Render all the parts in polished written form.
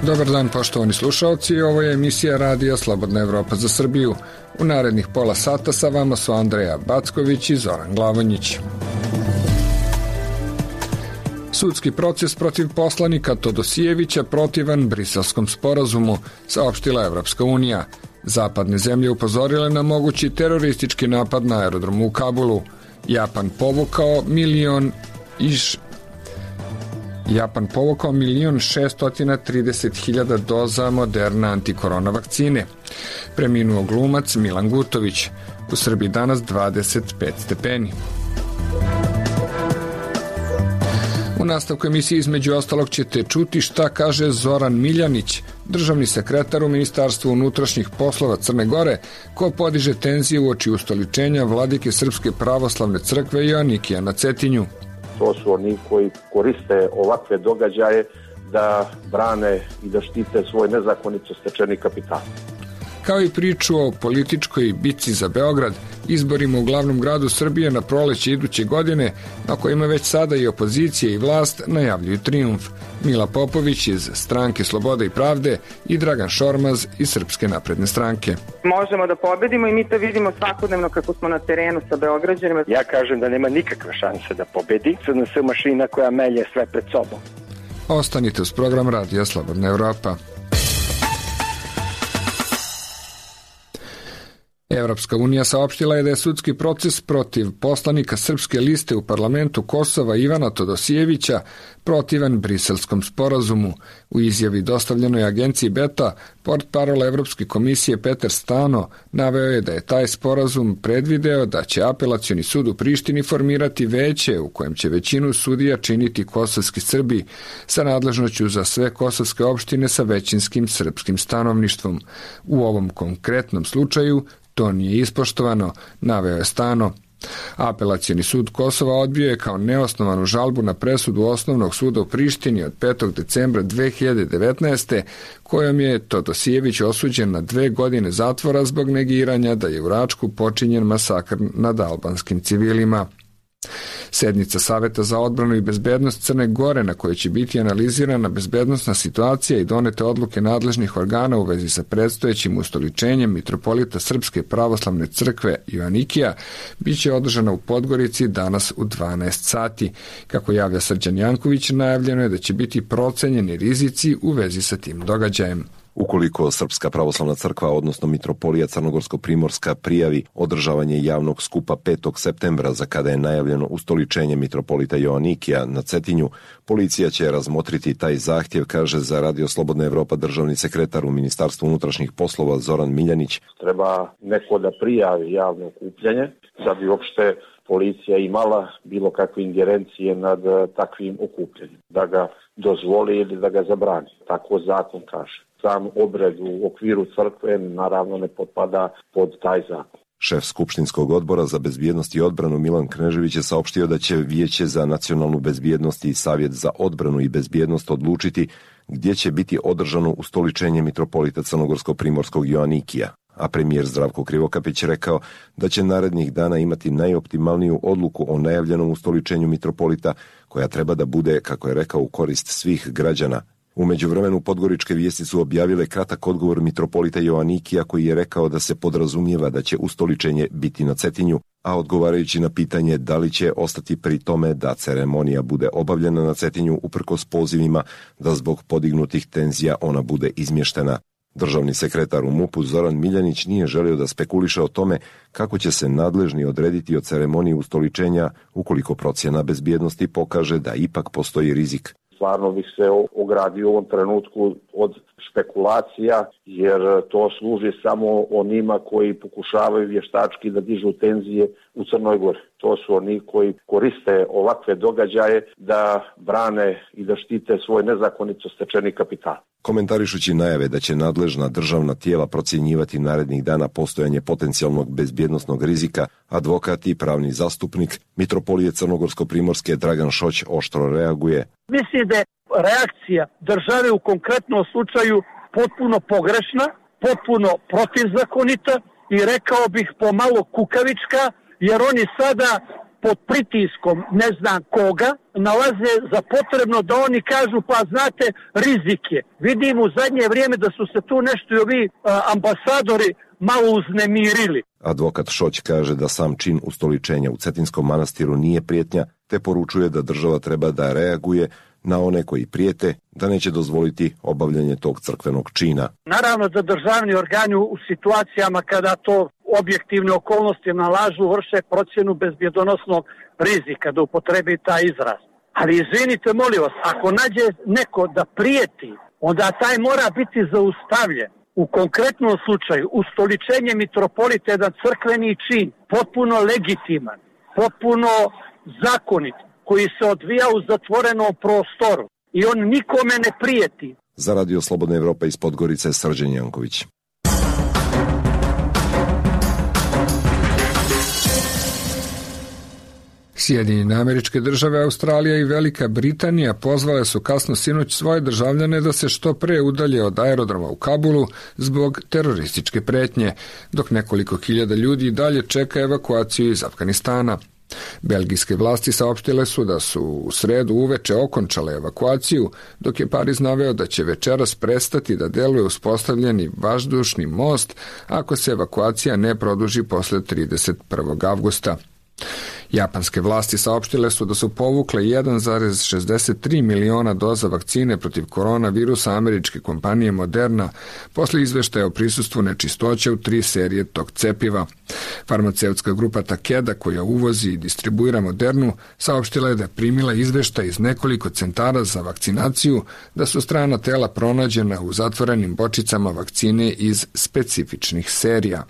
Dobar dan, poštovani slušalci, ovo je emisija Radija Slobodna Evropa za Srbiju. U narednih pola sata sa vama su Andreja Backović i Zoran Glavonjić. Sudski proces protiv poslanika Todosijevića protivan Briselskom sporazumu, saopštila Evropska unija. Zapadne zemlje upozorile na mogući teroristički napad na aerodromu u Kabulu. Japan povukao 1.630.000 doza Moderna antikorona vakcine. Preminuo glumac Milan Gutović. U Srbiji danas 25 stepeni. U nastavku emisije između ostalog ćete čuti šta kaže Zoran Miljanić, državni sekretar u Ministarstvu unutrašnjih poslova Crne Gore, ko podiže tenzije uoči ustoličenja vladike Srpske pravoslavne crkve Joanikija na Cetinju. To su oni koji koriste ovakve događaje da brane i da štite svoj nezakonito stečeni kapital. Kao i priču o političkoj bitci za Beograd, izborima u glavnom gradu Srbije na proleće iduće godine, na kojima već sada i opozicija i vlast najavljuju trijumf. Mila Popović iz Stranke Slobode i Pravde i Dragan Šormaz iz Srpske napredne stranke. Možemo da pobedimo i mi to vidimo svakodnevno kako smo na terenu sa Beograđanima. Ja kažem da nema nikakve šanse da pobedi. SNS mašina koja melje sve pred sobom. Ostanite uz program Radija Slobodna Evropa. Evropska unija saopštila je da je sudski proces protiv poslanika Srpske liste u parlamentu Kosova Ivana Todosijevića protivan Briselskom sporazumu. U izjavi dostavljenoj agenciji Beta, portparol Evropske komisije Petar Stano naveo je da je taj sporazum predvideo da će apelacioni sud u Prištini formirati veće u kojem će većinu sudija činiti kosovski Srbi sa nadležnošću za sve kosovske opštine sa većinskim srpskim stanovništvom. U ovom konkretnom slučaju to nije ispoštovano, naveo je Stano. Apelacioni sud Kosova odbio je kao neosnovanu žalbu na presudu Osnovnog suda u Prištini od 5. decembra 2019. kojom je Todosijević osuđen na 2 godine zatvora zbog negiranja da je u Račku počinjen masakr nad albanskim civilima. Sednica Saveta za odbranu i bezbednost Crne Gore, na kojoj će biti analizirana bezbednosna situacija i donete odluke nadležnih organa u vezi sa predstojećim ustoličenjem mitropolita Srpske pravoslavne crkve Joanikija, bit će održana u Podgorici danas u 12 sati. Kako javlja Srđan Janković, najavljeno je da će biti procenjeni rizici u vezi sa tim događajem. Ukoliko Srpska pravoslavna crkva, odnosno mitropolija Crnogorsko-Primorska, prijavi održavanje javnog skupa 5. septembra za kada je najavljeno ustoličenje mitropolita Joanikija na Cetinju, policija će razmotriti taj zahtjev, kaže za Radio Slobodna Evropa državni sekretar u Ministarstvu unutrašnjih poslova Zoran Miljanić. Treba neko da prijavi javno okupljanje da bi uopšte policija imala bilo kakve ingerencije nad takvim okupljanjem, da ga dozvoli ili da ga zabrani. Tako zakon kaže. Sam obred u okviru crkve naravno ne potpada pod taj zakon. Šef Skupštinskog odbora za bezbjednost i odbranu Milan Knežević je saopštio da će Vijeće za nacionalnu bezbjednost i Savjet za odbranu i bezbjednost odlučiti gdje će biti održano ustoličenje mitropolita Crnogorsko-Primorskog Joanikija. A premijer Zdravko Krivokapić rekao da će narednih dana imati najoptimalniju odluku o najavljenom ustoličenju mitropolita, koja treba da bude, kako je rekao, u korist svih građana. U međuvremenu podgoričke vijesti su objavile kratak odgovor mitropolita Joanikija, koji je rekao da se podrazumijeva da će ustoličenje biti na Cetinju, a odgovarajući na pitanje da li će ostati pri tome da ceremonija bude obavljena na Cetinju uprkos pozivima da zbog podignutih tenzija ona bude izmještena. Državni sekretar u MUP-u Zoran Miljanić nije želio da spekuliše o tome kako će se nadležni odrediti o ceremoniji ustoličenja ukoliko procjena bezbjednosti pokaže da ipak postoji rizik. Stvarno bih se ogradio u ovom trenutku od špekulacija, jer to služi samo onima koji pokušavaju vještački da dižu tenzije u Crnoj Gori. To su oni koji koriste ovakve događaje da brane i da štite svoj nezakonito stečeni kapital. Komentarišući najave da će nadležna državna tijela procjenjivati narednih dana postojanje potencijalnog bezbjednosnog rizika, advokat i pravni zastupnik mitropolije Crnogorsko-Primorske Dragan Šoć oštro reaguje. Mislim da je reakcija države u konkretnom slučaju potpuno pogrešna, potpuno protivzakonita i rekao bih pomalo kukavička, jer oni sada pod pritiskom ne znam koga nalaze za potrebno da oni kažu pa znate rizik je. Vidim u zadnje vrijeme da su se tu nešto i ovi ambasadori malo uznemirili. Advokat Šoć kaže da sam čin ustoličenja u Cetinskom manastiru nije prijetnja, te poručuje da država treba da reaguje na one koji prijete, da neće dozvoliti obavljanje tog crkvenog čina. Naravno da državni organi u situacijama kada to objektivne okolnosti nalažu vrše procjenu bezbjedonosnog rizika, da upotrebi taj izraz. Ali izvinite, molim vas, ako nađe neko da prijeti, onda taj mora biti zaustavljen. U konkretnom slučaju, ustoličenje mitropolita je jedan crkveni čin, potpuno legitiman, potpuno zakonit, koji se odvija u zatvorenom prostoru i on nikome ne prijeti. Za Radio Slobodna Evropa iz Podgorice, Srđan Janković. Sjedinjene Američke Države, Australija i Velika Britanija pozvale su kasno sinoć svoje državljane da se što pre udalje od aerodroma u Kabulu zbog terorističke pretnje, dok nekoliko hiljada ljudi dalje čeka evakuaciju iz Afganistana. Belgijske vlasti saopštile su da su u sredu uveče okončale evakuaciju, dok je Pariz naveo da će večeras prestati da deluje uspostavljeni vazdušni most ako se evakuacija ne produži posle 31. avgusta. Japanske vlasti saopštile su da su povukle 1,63 miliona doza vakcine protiv koronavirusa američke kompanije Moderna posle izveštaja o prisustvu nečistoća u 3 serije tog cepiva. Farmaceutska grupa Takeda, koja uvozi i distribuira Modernu, saopštila je da je primila izveštaj iz nekoliko centara za vakcinaciju da su strana tela pronađena u zatvorenim bočicama vakcine iz specifičnih serija.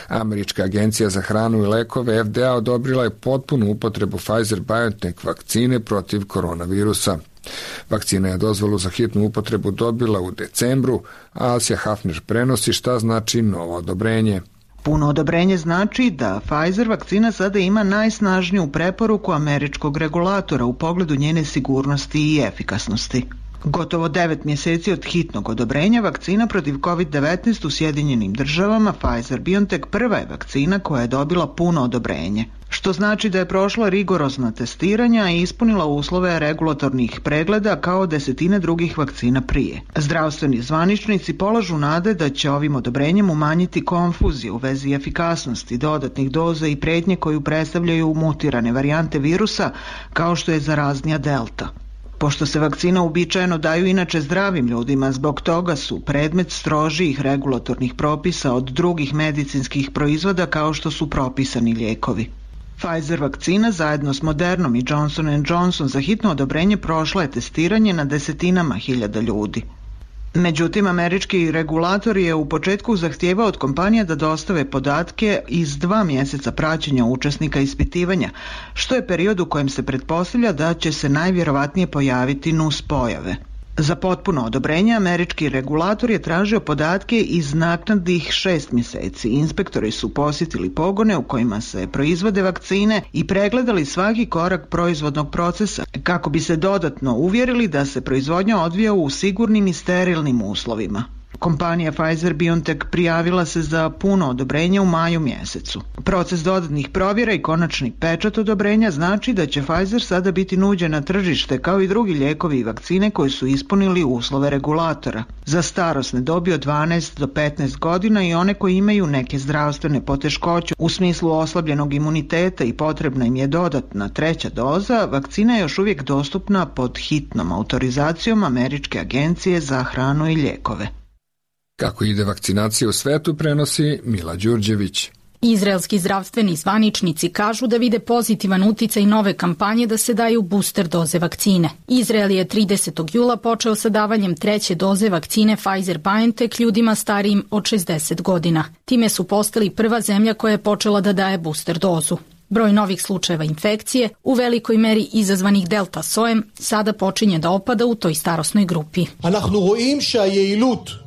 Američka agencija za hranu i lekove FDA odobrila je potpunu upotrebu Pfizer-BioNTech vakcine protiv koronavirusa. Vakcina je dozvolu za hitnu upotrebu dobila u decembru, a Alsija Hafner prenosi šta znači novo odobrenje. Puno odobrenje znači da Pfizer vakcina sada ima najsnažniju preporuku američkog regulatora u pogledu njene sigurnosti i efikasnosti. Gotovo 9 mjeseci od hitnog odobrenja vakcina protiv COVID-19 u Sjedinjenim Državama, Pfizer-BioNTech prva je vakcina koja je dobila puno odobrenje, što znači da je prošla rigorozna testiranja i ispunila uslove regulatornih pregleda kao desetine drugih vakcina prije. Zdravstveni zvaničnici polažu nade da će ovim odobrenjem umanjiti konfuziju u vezi efikasnosti dodatnih doza i pretnje koju predstavljaju mutirane varijante virusa kao što je zaraznija Delta. Pošto se vakcina uobičajeno daju inače zdravim ljudima, zbog toga su predmet strožijih regulatornih propisa od drugih medicinskih proizvoda kao što su propisani lijekovi. Pfizer vakcina zajedno s Modernom i Johnson & Johnson za hitno odobrenje prošla je testiranje na desetinama hiljada ljudi. Međutim, američki regulator je u početku zahtijevao od kompanija da dostave podatke iz 2 mjeseca praćenja učesnika ispitivanja, što je period u kojem se pretpostavlja da će se najvjerovatnije pojaviti nuspojave. Za potpuno odobrenje američki regulator je tražio podatke iz naknadnih 6 mjeseci. Inspektori su posjetili pogone u kojima se proizvode vakcine i pregledali svaki korak proizvodnog procesa kako bi se dodatno uvjerili da se proizvodnja odvija u sigurnim i sterilnim uslovima. Kompanija Pfizer-BioNTech prijavila se za puno odobrenje u maju mjesecu. Proces dodatnih provjera i konačni pečat odobrenja znači da će Pfizer sada biti nuđen na tržište kao i drugi lijekovi i vakcine koji su ispunili uslove regulatora. Za starosne dobi od 12 do 15 godina i one koji imaju neke zdravstvene poteškoće u smislu oslabljenog imuniteta i potrebna im je dodatna 3. doza, vakcina je još uvijek dostupna pod hitnom autorizacijom Američke agencije za hranu i lijekove. Kako ide vakcinacija u svetu, prenosi Mila Đurđević. Izraelski zdravstveni zvaničnici kažu da vide pozitivan uticaj nove kampanje da se daju booster doze vakcine. Izrael je 30. jula počeo sa davanjem 3. doze vakcine Pfizer-BioNTech ljudima starijim od 60 godina. Time su postali prva zemlja koja je počela da daje booster dozu. Broj novih slučajeva infekcije, u velikoj meri izazvanih delta sojem, sada počinje da opada u toj starosnoj grupi.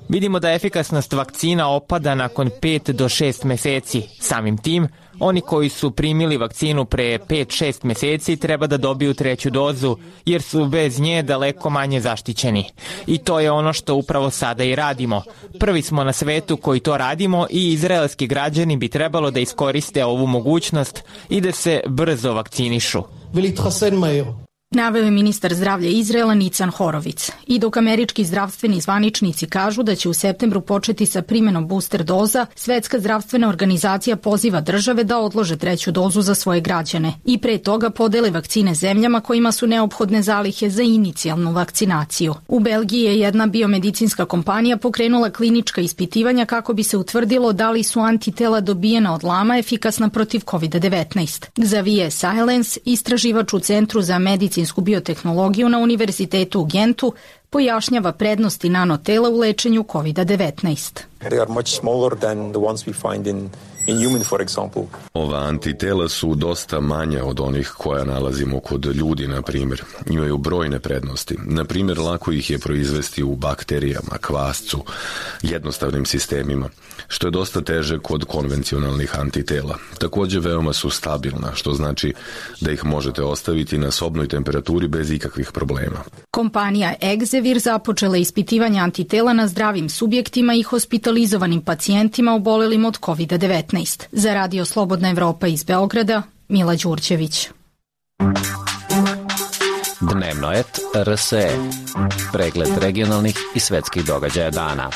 Vidimo da efikasnost vakcina opada nakon 5 do 6 meseci. Samim tim, Oni koji su primili vakcinu pre 5-6 meseci treba da dobiju treću dozu, jer su bez nje daleko manje zaštićeni. I to je ono što upravo sada i radimo. Prvi smo na svetu koji to radimo i izraelski građani bi trebalo da iskoriste ovu mogućnost i da se brzo vakcinišu. Naveo je ministar zdravlja Izraela Nican Horovic. I dok američki zdravstveni zvaničnici kažu da će u septembru početi sa primenom booster doza, Svetska zdravstvena organizacija poziva države da odlože treću dozu za svoje građane i pre toga podele vakcine zemljama kojima su neophodne zalihe za inicijalnu vakcinaciju. U Belgiji je jedna biomedicinska kompanija pokrenula klinička ispitivanja kako bi se utvrdilo da li su antitela dobijena od lama efikasna protiv COVID-19. Xavier Silence, istraživač u Centru za medicinsku biotehnologiju na Univerzitetu u Gentu, pojašnjava prednosti nanotela u lečenju COVID-19. They are much smaller than the ones we find in human, for example. Ova antitela su dosta manja od onih koja nalazimo kod ljudi, na primjer. Imaju brojne prednosti. Na primjer, lako ih je proizvesti u bakterijama, kvascu, jednostavnim sistemima, što je dosta teže kod konvencionalnih antitela. Također veoma su stabilna, što znači da ih možete ostaviti na sobnoj temperaturi bez ikakvih problema. Kompanija Exevir započela ispitivanje antitela na zdravim subjektima i hospitalizovanim pacijentima obolelim od COVID-19. Za Radio Slobodna Evropa iz Beograda, Mila Đurđević. Dnevno et RSE. Pregled regionalnih i svetskih događaja dana.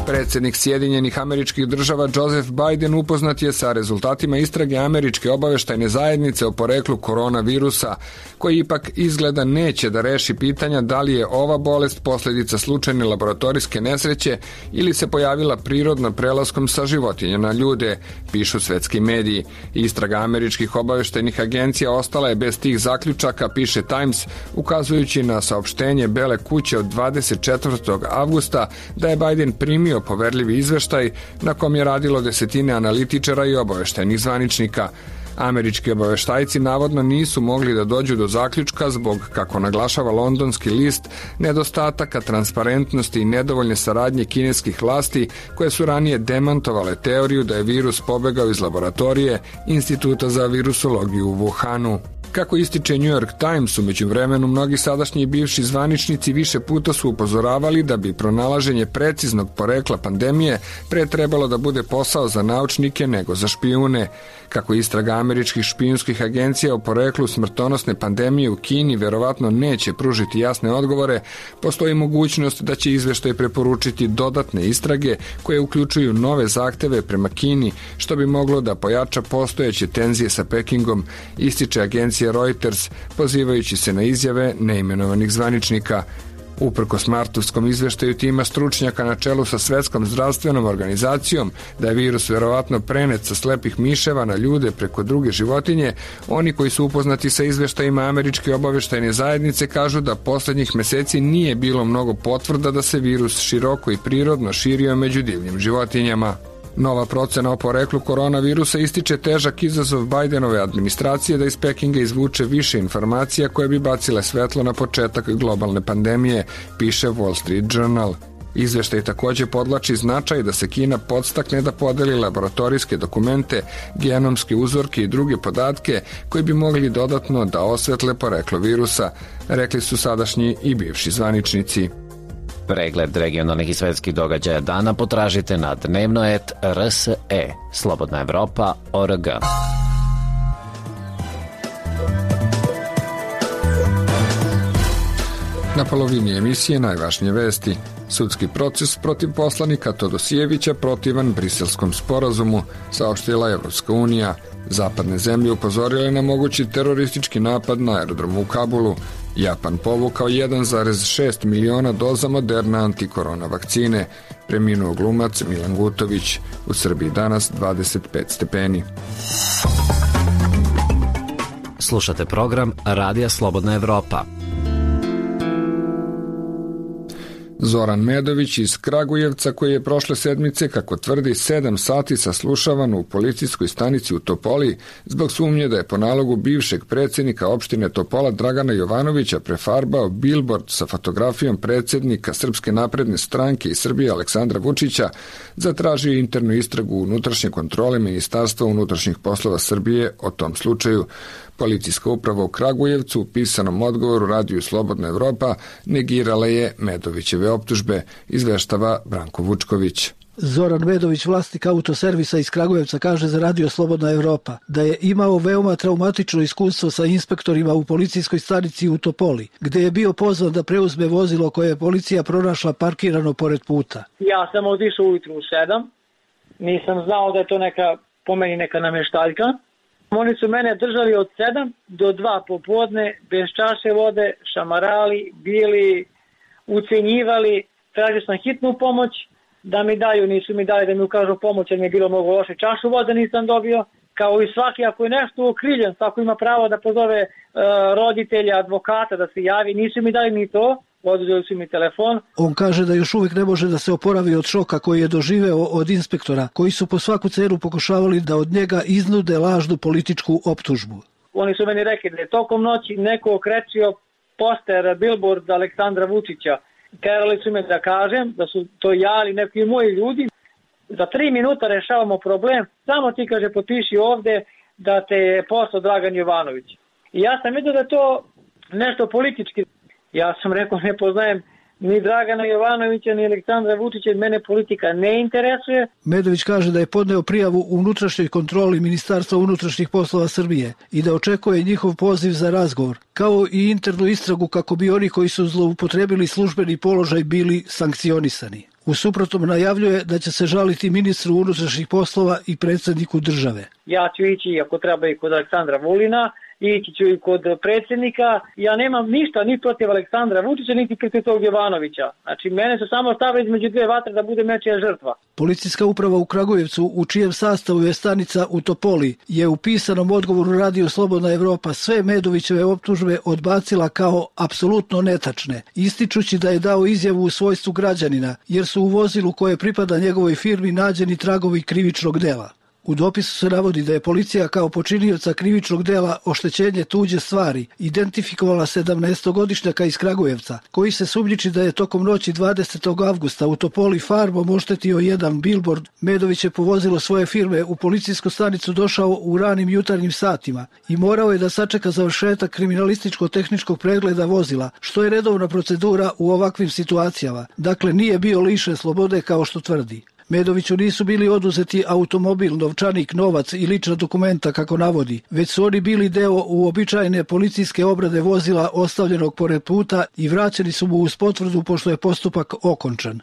Predsjednik Sjedinjenih Američkih Država Joseph Biden upoznat je sa rezultatima istrage Američke obaveštajne zajednice o poreklu koronavirusa, koji ipak izgleda neće da reši pitanja da li je ova bolest posljedica slučajne laboratorijske nesreće ili se pojavila prirodno prelaskom sa životinja na ljude, pišu svetski mediji. Istraga američkih obaveštajnih agencija ostala je bez tih zaključaka, piše Times, ukazujući na saopštenje Bele kuće od 24. avgusta da je Biden primio poverljivi izveštaj na kom je radilo desetine analitičara i obaveštajnih zvaničnika. Američki obaveštajci navodno nisu mogli da dođu do zaključka zbog, kako naglašava londonski list, nedostataka transparentnosti i nedovoljne saradnje kineskih vlasti koje su ranije demantovale teoriju da je virus pobegao iz laboratorije Instituta za virusologiju u Wuhanu. Kako ističe New York Times, u međuvremenu mnogi sadašnji i bivši zvaničnici više puta su upozoravali da bi pronalaženje preciznog porekla pandemije pre trebalo da bude posao za naučnike nego za špijune. Kako istraga američkih špijunskih agencija o poreklu smrtonosne pandemije u Kini verovatno neće pružiti jasne odgovore, postoji mogućnost da će izveštaj preporučiti dodatne istrage koje uključuju nove zahteve prema Kini, što bi moglo da pojača postojeće tenzije sa Pekingom, ističe agencija Reuters, pozivajući se na izjave neimenovanih zvaničnika. Uprkos martovskom izveštaju tima stručnjaka na čelu sa Svetskom zdravstvenom organizacijom da je virus verovatno prenet sa slepih miševa na ljude preko druge životinje, oni koji su upoznati sa izveštajima Američke obaveštajne zajednice kažu da poslednjih meseci nije bilo mnogo potvrda da se virus široko i prirodno širio među divljim životinjama. Nova procena o poreklu koronavirusa ističe težak izazov Bidenove administracije da iz Pekinga izvuče više informacija koje bi bacile svetlo na početak globalne pandemije, piše Wall Street Journal. Izveštaj također podlači značaj da se Kina podstakne da podeli laboratorijske dokumente, genomske uzorke i druge podatke koji bi mogli dodatno da osvetle poreklo virusa, rekli su sadašnji i bivši zvaničnici. Pregled regionalnih i svetskih događaja dana potražite na dnevnoet.rse. Slobodna Evropa.org. Na polovini emisije najvažnije vesti. Sudski proces protiv poslanika Todosijevića protivan Briselskom sporazumu, saopštila Evropska unija. Zapadne zemlje upozorile na mogući teroristički napad na aerodromu u Kabulu. Japan povukao 1,6 miliona doza Moderna antikorona vakcine. Preminuo glumac Milan Gutović. U Srbiji danas 25 stepeni. Slušate program Radija Slobodna Evropa. Zoran Medović iz Kragujevca, koji je prošle sedmice, kako tvrdi, 7 sati saslušavan u policijskoj stanici u Topoli zbog sumnje da je po nalogu bivšeg predsjednika opštine Topola Dragana Jovanovića prefarbao bilbord sa fotografijom predsjednika Srpske napredne stranke i Srbije Aleksandra Vučića, zatražio internu istragu unutrašnje kontrole Ministarstva unutrašnjih poslova Srbije o tom slučaju. Policijska uprava u Kragujevcu u pisanom odgovoru Radiju Slobodna Evropa negirala je Medovićeve optužbe, izveštava Branko Vučković. Zoran Medović, vlasnik autoservisa iz Kragujevca, kaže za Radio Slobodna Evropa da je imao veoma traumatično iskustvo sa inspektorima u policijskoj stanici u Topoli, gde je bio pozvan da preuzme vozilo koje je policija pronašla parkirano pored puta. Ja sam otišao ujutru u 7, nisam znao da je to po meni neka nameštaljka. Oni su mene držali od 7 do 2 popodne, bez čaše vode, šamarali, bili, ucenjivali, tražio sam hitnu pomoć, da mi daju, nisu mi dali da mi ukažu pomoć, jer mi je bilo mnogo loše, čašu vode nisam dobio, kao i svaki, ako je nešto okriljen, tako ima pravo da pozove roditelja, advokata, da se javi, nisu mi dali ni to, oduzeli su mi telefon. On kaže da još uvijek ne može da se oporavi od šoka koji je doživeo od inspektora, koji su po svaku cenu pokušavali da od njega iznude lažnu političku optužbu. Oni su meni rekli da je tokom noći neko okrećio poster, billboard Aleksandra Vučića. Terali su me da kažem da su to ja ili neki moji ljudi. Za 3 minuta rešavamo problem, samo ti, kaže, potpiši ovde da te je poslao Dragan Jovanović. I ja sam vidio da je to nešto politički. Ja sam rekao, ne poznajem ni Dragana Jovanovića, ni Aleksandra Vučića, mene politika ne interesuje. Medović kaže da je podneo prijavu u unutrašnjoj kontroli Ministarstva unutrašnjih poslova Srbije i da očekuje njihov poziv za razgovor, kao i internu istragu kako bi oni koji su zloupotrebili službeni položaj bili sankcionisani. U suprotnom najavljuje da će se žaliti ministru unutrašnjih poslova i predsjedniku države. Ja ću ići, ako treba, i kod Aleksandra Vulina, ići ću i kod predsjednika. Ja nemam ništa ni protiv Aleksandra Vučića, niti protiv tog Jovanovića. Znači, mene su samo stavili između dve vatre da bude nečija žrtva. Policijska uprava u Kragujevcu, u čijem sastavu je stanica u Topoli, je u pisanom odgovoru Radio Slobodna Evropa sve Medovićeve optužbe odbacila kao apsolutno netačne, ističući da je dao izjavu u svojstvu građanina, jer su u vozilu koje pripada njegovoj firmi nađeni tragovi krivičnog dela. U dopisu se navodi da je policija kao počinioca krivičnog dela oštećenje tuđe stvari identifikovala 17-godišnjaka iz Kragujevca, koji se sumnjiči da je tokom noći 20. avgusta u Topoli farbom oštetio jedan billboard. Medović je po vozilu svoje firme u policijsku stanicu došao u ranim jutarnjim satima i morao je da sačeka završetak kriminalističko-tehničkog pregleda vozila, što je redovna procedura u ovakvim situacijama. Dakle, nije bio lišen slobode kao što tvrdi. Medoviću nisu bili oduzeti automobil, novčanik, novac i lična dokumenta, kako navodi, već su oni bili deo uobičajene policijske obrade vozila ostavljenog pored puta i vraćeni su mu uz potvrdu pošto je postupak okončan.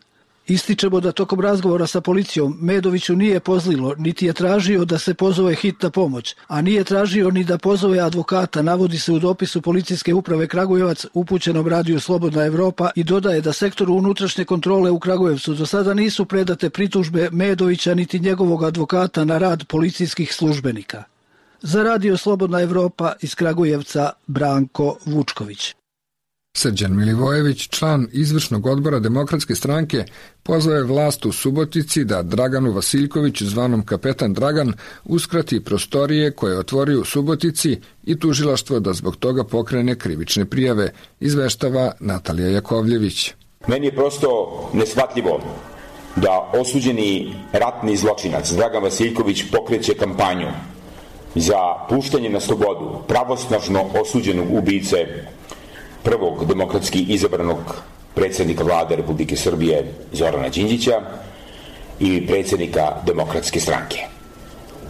Ističemo da tokom razgovora sa policijom Medoviću nije pozlilo, niti je tražio da se pozove hitna pomoć, a nije tražio ni da pozove advokata, navodi se u dopisu Policijske uprave Kragujevac upućenom Radiju Slobodna Evropa i dodaje da sektoru unutrašnje kontrole u Kragujevcu do sada nisu predate pritužbe Medovića niti njegovog advokata na rad policijskih službenika. Za Radio Slobodna Evropa iz Kragujevca Branko Vučković. Srđan Milivojević, član izvršnog odbora Demokratske stranke, pozvao je vlast u Subotici da Draganu Vasiljkoviću, zvanom Kapetan Dragan, uskrati prostorije koje je otvorio u Subotici i tužilaštvo da zbog toga pokrene krivične prijave, izveštava Natalija Jakovljević. Meni je prosto neshvatljivo da osuđeni ratni zločinac Dragan Vasiljković pokreće kampanju za puštanje na slobodu pravosnažno osuđenog ubice prvog demokratski izabranog predsjednika vlade Republike Srbije Zorana Đinđića i predsjednika Demokratske stranke.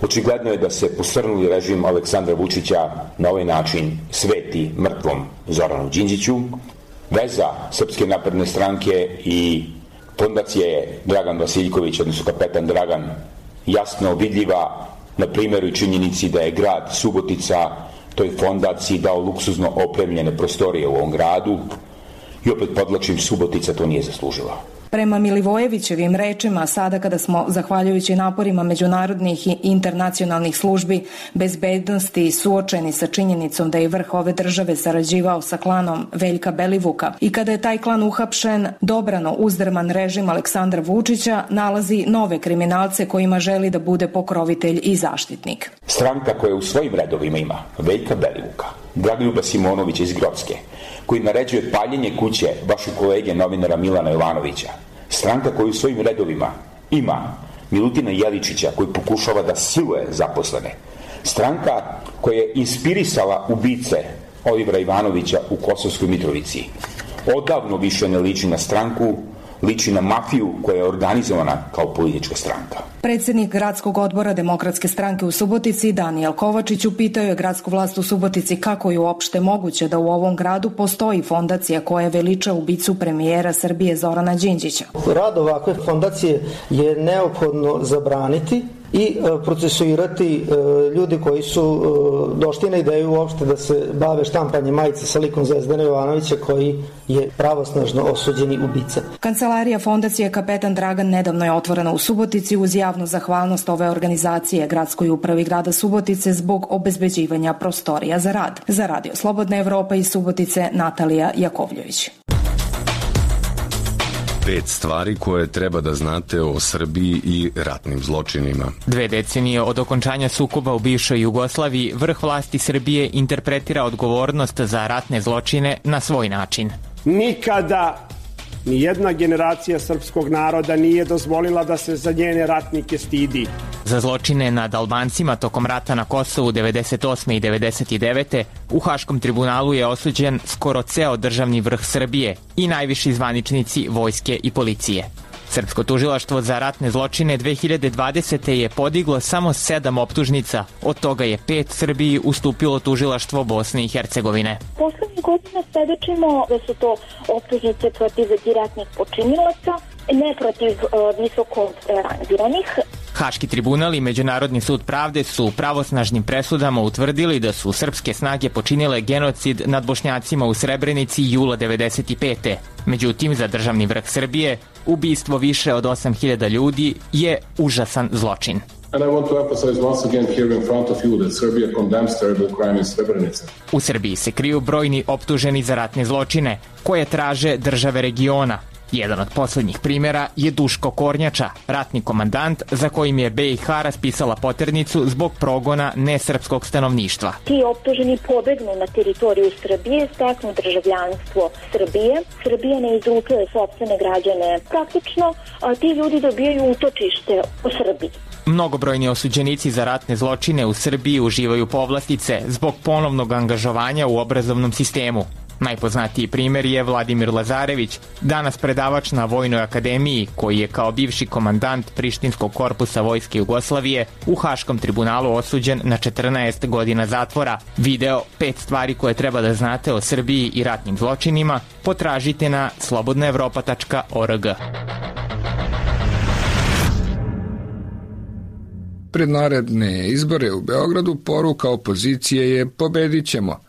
Očigledno je da se posrnuli režim Aleksandra Vučića na ovaj način sveti mrtvom Zoranu Đinđiću. Veza Srpske napredne stranke i fondacije Dragan Vasiljković, odnosno Kapetan Dragan, jasno vidljiva na primjeru i činjenici da je grad Subotica toj fondaciji dao luksuzno opremljene prostorije u ovom gradu i opet podlačim, Subotica to nije zaslužila. Prema Milivojevićevim rečima, sada kada smo, zahvaljujući naporima međunarodnih i internacionalnih službi bezbednosti, suočeni sa činjenicom da je vrh ove države sarađivao sa klanom Veljka Belivuka i kada je taj klan uhapšen, dobrano uzdrman režim Aleksandra Vučića nalazi nove kriminalce kojima želi da bude pokrovitelj i zaštitnik. Stranka koja u svojim redovima ima Veljka Belivuka, Dragoljuba Simonovića iz Grocke, koji naređuje paljenje kuće vašeg kolege novinara Milana Jovanovića. Stranka koja u svojim redovima ima Milutina Jeličića koji pokušava da siluje zaposlene. Stranka koja je inspirisala ubice Olivera Ivanovića u Kosovskoj Mitrovici. Odavno više ne liči na stranku, liči na mafiju koja je organizovana kao politička stranka. Predsjednik gradskog odbora Demokratske stranke u Subotici, Danijel Kovačić, upitao je gradsku vlast u Subotici kako je uopšte moguće da u ovom gradu postoji fondacija koja veliča ubicu premijera Srbije Zorana Đinđića. Rad ovakve fondacije je neophodno zabraniti i procesuirati ljudi koji su došli na ideju uopšte da se bave štampanjem majice sa likom Zvezdana Jovanovića koji je pravosnažno osuđeni ubica. Kancelarija fondacije Kapetan Dragan nedavno je otvorena u Subotici uz javnu zahvalnost ove organizacije Gradskoj upravi grada Subotice zbog obezbeđivanja prostorija za rad. Za Radio Slobodna Evropa iz Subotice, Natalija Jakovljević. 5 stvari koje treba da znate o Srbiji i ratnim zločinima. 2 decenije od okončanja sukoba u bivšoj Jugoslaviji, vrh vlasti Srbije interpretira odgovornost za ratne zločine na svoj način. Nikada nijedna generacija srpskog naroda nije dozvolila da se za njene ratnike stidi. Za zločine nad Albancima tokom rata na Kosovu 98. i 99. u Haškom tribunalu je osuđen skoro ceo državni vrh Srbije i najviši zvaničnici vojske i policije. Srpsko tužilaštvo za ratne zločine 2020. je podiglo samo 7 optužnica, od toga je 5 Srbiji ustupilo tužilaštvo Bosne i Hercegovine. Poslednjih godina svedočimo da su to optužnice protiv direktnih počinilaca, ne protiv visoko rangiranih. Haški tribunal i Međunarodni sud pravde su pravosnažnim presudama utvrdili da su srpske snage počinile genocid nad Bošnjacima u Srebrenici jula 95. Međutim, za državni vrh Srbije, ubistvo više od 8.000 ljudi je užasan zločin. And I want to emphasize once again here in front of you that Serbia condemns terrible crime in Srebrenica. U Srbiji se kriju brojni optuženi za ratne zločine, koje traže države regiona. Jedan od poslednjih primjera je Duško Kornjača, ratni komandant za kojim je BiH raspisala poternicu zbog progona nesrpskog stanovništva. Ti optuženi pobegnu na teritoriju Srbije, steknu državljanstvo Srbije. Srbija ne izručuje sopstvene građane. Praktično ti ljudi dobijaju utočište u Srbiji. Mnogobrojni osuđenici za ratne zločine u Srbiji uživaju povlastice zbog ponovnog angažovanja u obrazovnom sistemu. Najpoznatiji primjer je Vladimir Lazarević, danas predavač na Vojnoj akademiji, koji je kao bivši komandant Prištinskog korpusa Vojske Jugoslavije u Haškom tribunalu osuđen na 14 godina zatvora. Video 5 stvari koje treba da znate o Srbiji i ratnim zločinima potražite na slobodnaevropa.org. Pred naredne izbore u Beogradu poruka opozicije je pobedit ćemo.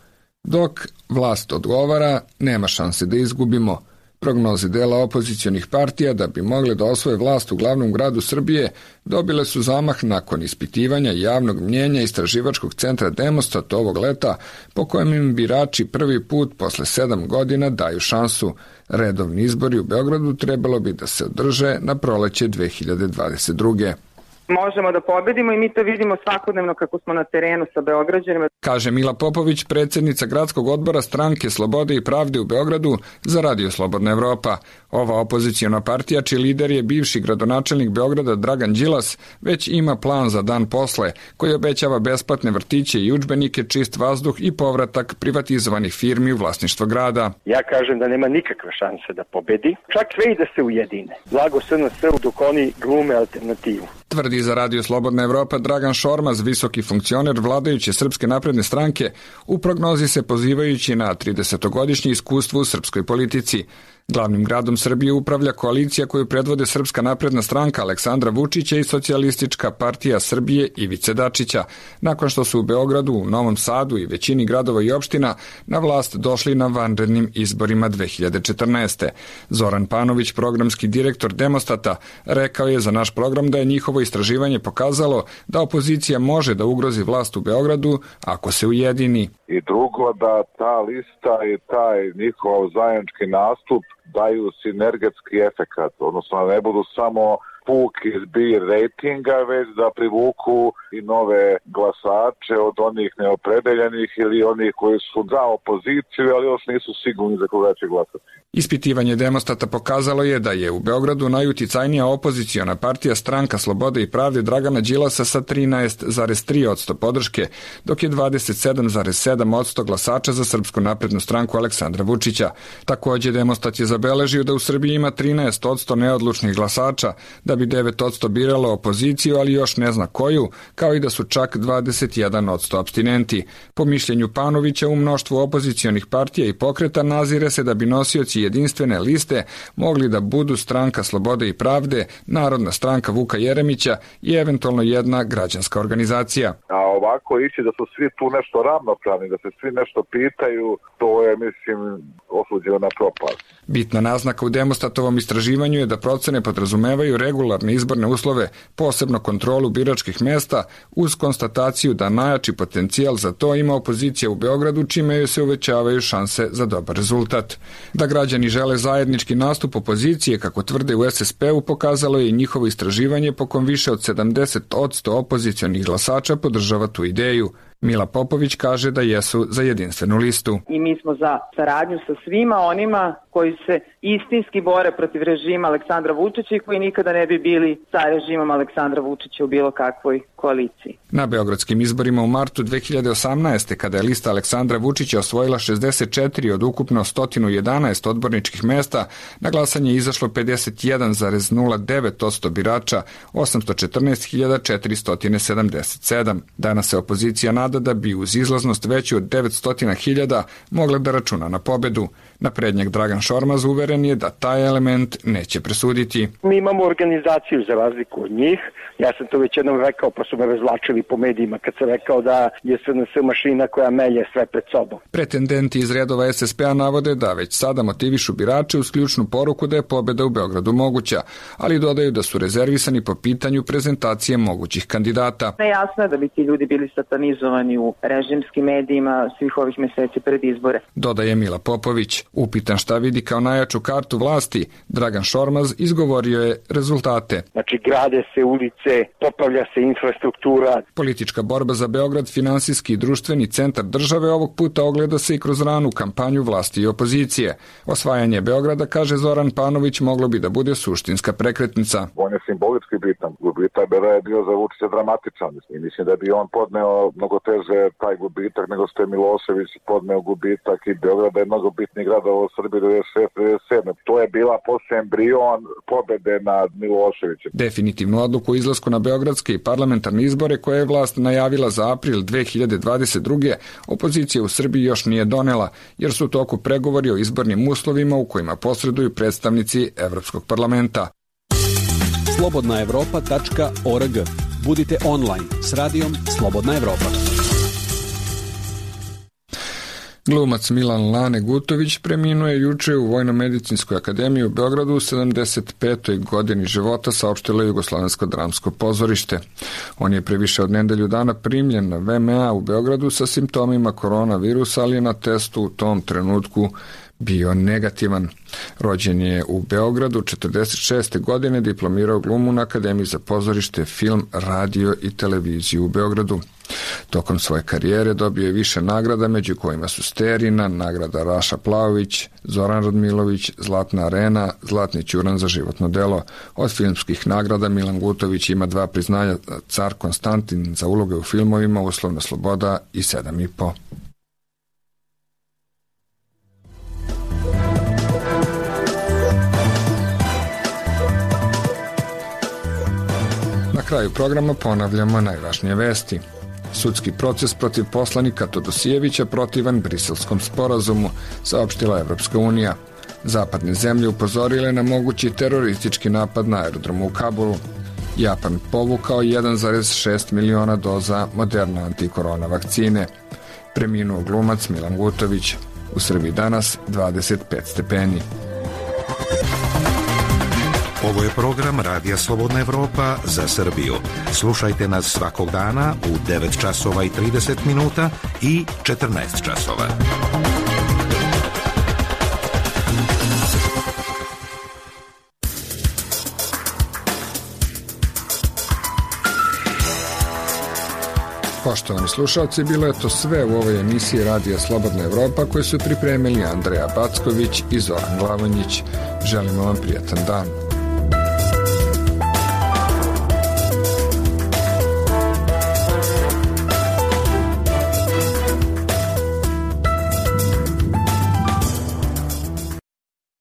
Dok vlast odgovara, nema šanse da izgubimo. Prognoze dela opozicionih partija da bi mogle da osvoje vlast u glavnom gradu Srbije dobile su zamah nakon ispitivanja javnog mnjenja Istraživačkog centra Demostat ovog leta, po kojem im birači prvi put posle 7 godina daju šansu. Redovni izbori u Beogradu trebalo bi da se održe na proleće 2022. Možemo da pobedimo i mi to vidimo svakodnevno kako smo na terenu sa Beograđanima. Kaže Mila Popović, predsjednica gradskog odbora Stranke Slobode i pravde u Beogradu za Radio Slobodna Evropa. Ova opozicijona partija, čiji lider je bivši gradonačelnik Beograda Dragan Đilas, već ima plan za dan posle, koji obećava besplatne vrtiće i udžbenike, čist vazduh i povratak privatizovanih firmi u vlasništvo grada. Ja kažem da nema nikakve šanse da pobedi, čak sve i da se ujedine. Blago SNS-u dok oni glume alternativu. Tvrdi za Radio Slobodna Evropa Dragan Šormaz, visoki funkcioner vladajuće Srpske napredne stranke, u prognozi se pozivajući na 30-godišnje iskustvo u srpskoj politici. Glavnim gradom Srbije upravlja koalicija koju predvode Srpska napredna stranka Aleksandra Vučića i Socijalistička partija Srbije Ivice Dačića, nakon što su u Beogradu, u Novom Sadu i većini gradova i opština na vlast došli na vanrednim izborima 2014. Zoran Panović, programski direktor Demostata, rekao je za naš program da je njihovo istraživanje pokazalo da opozicija može da ugrozi vlast u Beogradu ako se ujedini. I drugo, da ta lista i taj njihov zajednički nastup daju sinergetski efekat, odnosno ne budu samo puki zbir rejtinga, već da privuku i nove glasače od onih neopredeljenih ili onih koji su za opoziciju, ali još nisu sigurni za koga će glasati. Ispitivanje Demostata pokazalo je da je u Beogradu najuticajnija opoziciona partija Stranka slobode i pravde Dragana Đilasa sa 13,3% podrške, dok je 27,7% glasača za Srpsku naprednu stranku Aleksandra Vučića. Takođe, Demostat je zabeležio da u Srbiji ima 13% neodlučnih glasača, da bi 9% biralo opoziciju, ali još ne zna koju, kao i da su čak 21% apstinenti. Po mišljenju Panovića, u mnoštvu opozicionih partija i pokreta nazire se da bi nosioci jedinstvene liste mogli da budu Stranka slobode i pravde, Narodna stranka Vuka Jeremića i eventualno jedna građanska organizacija. A ovako ići da su svi tu nešto ravnopravni, da se svi nešto pitaju, to je, mislim, osuđeno na propast. Bitna naznaka u Demostatovom istraživanju je da procene podrazumevaju regularne izborne uslove, posebno kontrolu biračkih mesta, uz konstataciju da najjači potencijal za to ima opozicija u Beogradu, čime joj se uvećavaju šanse za dobar rezultat. Da građani žele zajednički nastup opozicije, kako tvrde u SSP-u, pokazalo je i njihovo istraživanje po kom više od 70% opozicionih glasača podržava tu ideju. Mila Popović kaže da jesu za jedinstvenu listu. I mi smo za saradnju sa svima onima koji se istinski bore protiv režima Aleksandra Vučića i koji nikada ne bi bili sa režimom Aleksandra Vučića u bilo kakvoj koaliciji. Na beogradskim izborima u martu 2018. kada je lista Aleksandra Vučića osvojila 64 od ukupno 111 odborničkih mesta, na glasanje je izašlo 51,09% birača, 814.477. Danas se opozicija nada da bi uz izlaznost veću od 900.000 mogla da računa na pobedu. Naprednjak Dragan Šormaz uveren je da taj element neće presuditi. Mi imamo organizaciju za razliku od njih. Ja sam to već jednom rekao, pa su me razvlačili po medijima kad sam rekao da je SNS mašina koja melje sve pred sobom. Pretendenti iz redova SSP-a navode da već sada motivišu birače uz ključnu poruku da je pobeda u Beogradu moguća, ali dodaju da su rezervisani po pitanju prezentacije mogućih kandidata. Nejasno je da bi ti ljudi bili satanizovani u režimskim medijima svih ovih meseci pred izbore. Dodaje Mila Popović. Upitan šta vidi kao najjaču kartu vlasti, Dragan Šormaz izgovorio je rezultate. Znači, grade se ulice, popravlja se infrastruktura. Politička borba za Beograd, finansijski i društveni centar države, ovog puta ogleda se i kroz ranu kampanju vlasti i opozicije. Osvajanje Beograda, kaže Zoran Panović, moglo bi da bude suštinska prekretnica. On je simbolički bitan. Gubitak je bio za Vučića dramatičan. I mislim da bi on podneo mnogo teže taj gubitak nego što je Milošević podneo gubitak i Beograd je mnogo bitniji grad u Srbiji 96-97. To je bila posle embrion pobede nad Miloševićem. Definitivnu odluku o izlasku na beogradske i parlamentarne izbore koje je vlast najavila za april 2022. opozicija u Srbiji još nije donela, jer su u toku pregovori o izbornim uslovima u kojima posreduju predstavnici Evropskog parlamenta. slobodnaevropa.org. Budite online s radijom Slobodna Evropa. Glumac Milan Lane Gutović preminuo je juče u Vojno-medicinskoj akademiji u Beogradu u 75. godini života, saopštilo Jugoslovensko dramsko pozorište. On je pre više od nedelju dana primljen na VMA u Beogradu sa simptomima koronavirusa, ali je na testu u tom trenutku bio negativan. Rođen je u Beogradu 46. godine, diplomirao glumu na Akademiji za pozorište, film, radio i televiziju u Beogradu. Tokom svoje karijere dobio je više nagrada, među kojima su Sterina, nagrada Raša Plavović, Zoran Radmilović, Zlatna arena, Zlatni ćuran za životno delo. Od filmskih nagrada Milan Gutović ima 2 priznanja, Car Konstantin za uloge u filmovima Uslovna sloboda i 7,5. Na kraju programa ponavljamo najvažnije vesti. Sudski proces protiv poslanika Todosijevića protivan Briselskom sporazumu, saopštila Evropska unija. Zapadne zemlje upozorile na mogući teroristički napad na aerodromu u Kabulu. Japan povukao 1,6 miliona doza Moderna antikorona vakcine. Preminuo glumac Milan Gutović. U Srbiji danas 25 stepeni. Ovo je program Radija Slobodna Evropa za Srbiju. Slušajte nas svakog dana u 9 časova i 30 minuta i 14 časova. Poštovani slušalci, bilo je to sve u ovoj emisiji Radija Slobodna Evropa koju su pripremili Andreja Backović i Zoran Glavonjić. Želimo vam prijatan dan.